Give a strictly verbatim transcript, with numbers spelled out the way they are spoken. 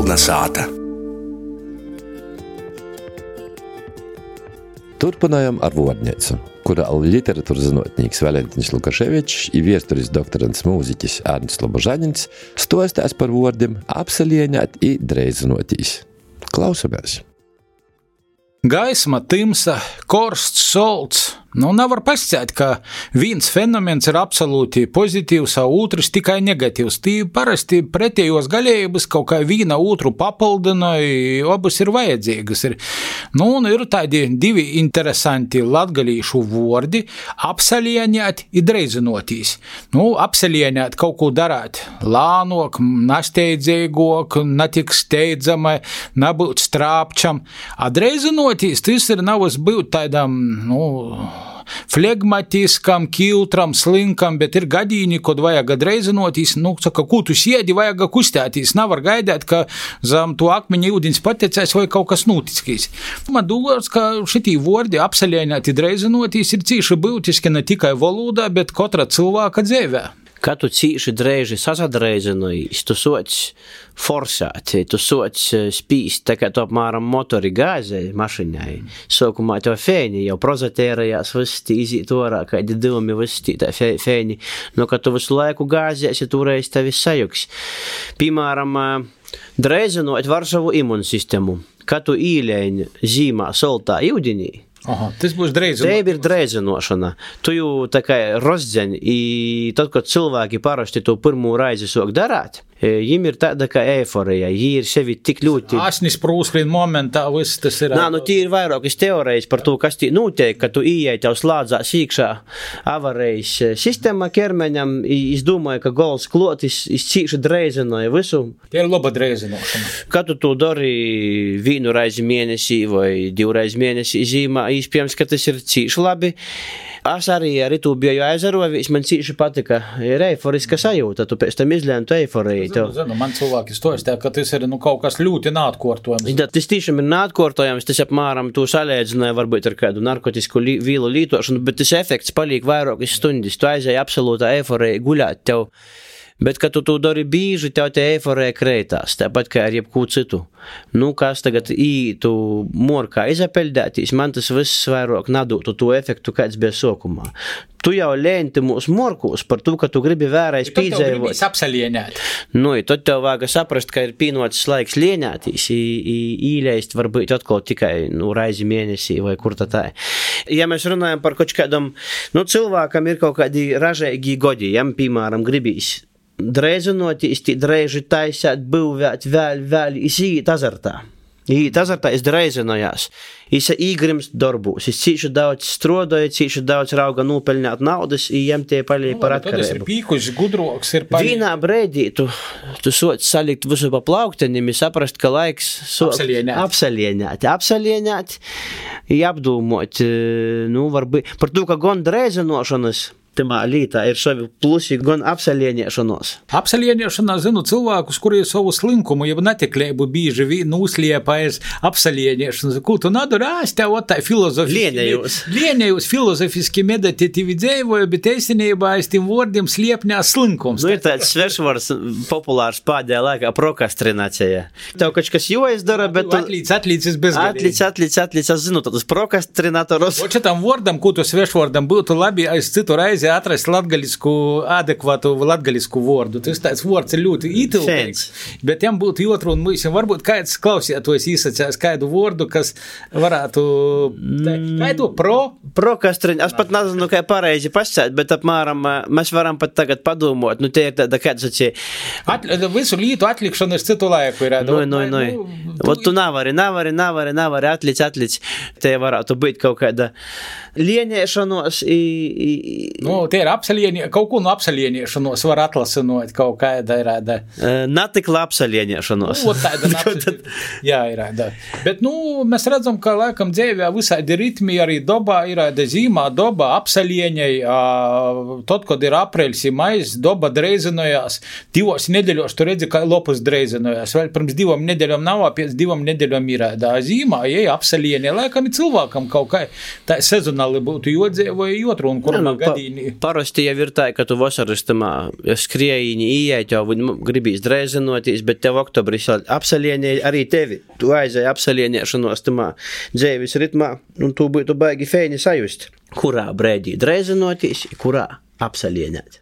Melna sāta. Turpinājam ar vārdneicu, kurā literatūras zinotnīks Valentiņš Lukaševičs i viesturis doktorants mūziķis Ārnis Lobožaņins stostās par vārdiem apsalieņāt i dreizinotīs. Klausamies! Gaisma, tymsa, korsts, solts. Nu, nevar pasciēt, ka viens fenomens ir absolūti pozitīvs, a otrs tikai negatīvs. Tī parasti pretējos galējības kaut kā viena otru papildina, abas ir vajadzīgas. Ir, nu, un ir tādi divi interesanti latgalīšu vordi – apsalieņāt i dreizinotīs. Nu, apsalieņāt kaut ko darāt lānok, nasteidzīgok, netik steidzamai, nebūt strāpčam. A dreizinotīs, tas ir navas būt tādam, nu, flegmatiskam, kiltram, slinkam, bet ir gadīni, kod vajag dreizinotīs, nu, saka, ko tu siedi, vajag kustētīs, nevar gaidēt, ka zem to akmeņa ūdens patecēs vai kaut kas notickīs. Man dūlās, ka šitī vordi apsalieņāti dreizinotīs ir cīši būtiski ne tikai valodā, bet katra cilvēka dzīvē. Kad tu cīši dreiži sasadreizinojies, tu soc forsēt, tu soc spīst, tā kā tu apmēram motori gāzei mašiņai. Sokumā tev fēni jau prozatērajās visi izīt orā, kādi divumi visi tā fēni. No, kad tu visu laiku gāziesi, turēs tevi sajuks. Piemēram, dreizinot var savu imunsistemu. Kad tu īļēņi zīmā soltā ūdenī, Aha, tas būs dreizinošana. Tev ir dreizinošana. Tu jau tā kā rozdzeņ, i tad, kad cilvēki parasti to pirmo raizi sāk darāt, jim ir tāda kā eiforija, jī ir sevi tik ļoti... Asnis prūsklīn momentā, viss tas ir... Nā, nu tī ir vairākas teorijas par to, kas tī notiek, ka tu ieej tev slādzās iekšā avarējas sistēma ķermeņam, es domāju, ka gols klotis cīši dreizinoja visu. Tie ir laba dreizinošana. Kad tu to dari vienu raizi mēnesī vai divu raizi mēnesī zīmā, iespējams, ka tas ir cīši labi. Es arī ar itu biju aizarovījis, man cīši patika. Ir eiforiska sajūta, tu pēc tam izlēni tu eiforiju. Zinu, zinu, man cilvēki stostē, ka tas ir nu, kaut kas ļoti neatkārtojams. Ja, tas tiešām ir neatkārtojams, tas apmēram tu salēdzināja varbūt ar kādu narkotisku li, vīlu lītošanu, bet tas efekts paliek vairākas stundas. Tu aizēji absolūtā eiforija guļāt tev. Bet, kad tu to dari bīži, tev te eiforija kreitās, tāpat kā ar jebkū citu. Nu, kas tagad ītu morkā izapeļdētīs, man tas viss vairāk nadūtu to efektu, kāds bija sokumā. Tu jau lēnti mūs morkūs par to, ka tu gribi vērais pīdzēvot. Tad tev gribīs apsalieņāt. Nu, tad tev vāga saprast, ka ir pīnots laiks lieņātīs, īļēst varbūt atkal tikai nu, raizi mēnesī vai kur tā tā. Ja mēs runājam par kaut kādam, nu, cilvēkam ir kaut kādi ražēgi godi, jam, piemēram, gribīs dreizinotīs, tī dreiži taisāt, būvēt, vēl, vēl, es iet azartā. Iet azartā, es dreizinojās. Es īgrimst darbūs, es cīši daudz strodoju, cīši daudz rauga nūpeļņāt naudas, i jiem tie palīja par atkarību. Tad es ir pīkuši, gudroks ir palīja. Vienā breidī tu, tu soc salikt visu pa plauktenim, i saprast, ka laiks soc apsalieņāt. Apsalieņāt, apsalieņāt, i apdūmot, nu, varbūt, par to, ka gan dreizinošanas, tamā lītā ir savi plusi gan apsalieņiešanos. Apsalieņiešanā zinu cilvēkus, kuri savu slinkumu, jeb netiklēbu bīži vīnu uzliepājas apsalieņiešanas. Ko tu nadari? Ā, es tev tā filozofiski... Lienējus. Lienējus filozofiski meditatīvi dzēvoju, bet eisinībā es tiem vārdiem sliepņās slinkums. Nu, ir tāds svešvārds populārs pādējā laikā prokrastinācija. Tev kaut kas joizdara, bet tu... Atlīdz, atlīdz, bezgalīgi. Atlīdz, atlīdz, atlīdz, es zinu, tad uz prokrastinātorus. O šitam vārdam, ko tu svešvārdam būtu labi aiz citu raizi atrast latgalisku, adekvātu latgalisku vārdu. Tas tāds vārds ir ļoti ītiltīgs, bet jām būtu jotru un mūsim. Varbūt kāds klausietos īsacās kādu vārdu, kas varētu... Kādu pro? Prokrastrin... Es pat nezinu, kā pareizi pasēt, bet apmēram mēs varam pat tagad padomot. Nu, tie ir tāda kāds acī... At, visu lītu atlikšanu es citu laiku ir. Nu, nu, nu. Ot tu navari, navari, navari, navari, atlic, atlic. Te varētu būt kaut kāda lieņēšanos i... i Nu, tie ir apsalieņie, kaut ko no apsalieņiešanos var atlasinot kaut kāda ir āda. Natikla apsalieņiešanos. Nu, tāda apsalieņiešanos. Jā, ir āda. Bet, nu, mēs redzam, ka laikam dzēvē visādi ritmi arī dobā ir āda zīmā, doba apsalieņai, tad, kad ir aprēļs i mais, doba dreizinojās. Divos nedeļos tu redzi, ka lopus dreizinojās. Vēl pirms divom nedeļom nav, pēc divom nedeļom ir āda zīmā, jei apsalieņai. Laikam ir cilvēkam kaut kā tā sezonalitāte optimāli būtu jodzēvo, jotru un kurmā nu, gadīni. Pa, parasti jau ir tā, ka tu vasaristamā skriejiņi ieiet, jau gribīs dreizenoties, bet tev oktobris apsalienē arī tevi. Tu aizēji apsalienēšanos tamā dzēvis ritmā, un tu būtu baigi feini sajust. Kurā brēdī dreizenoties, kurā apsalienēt.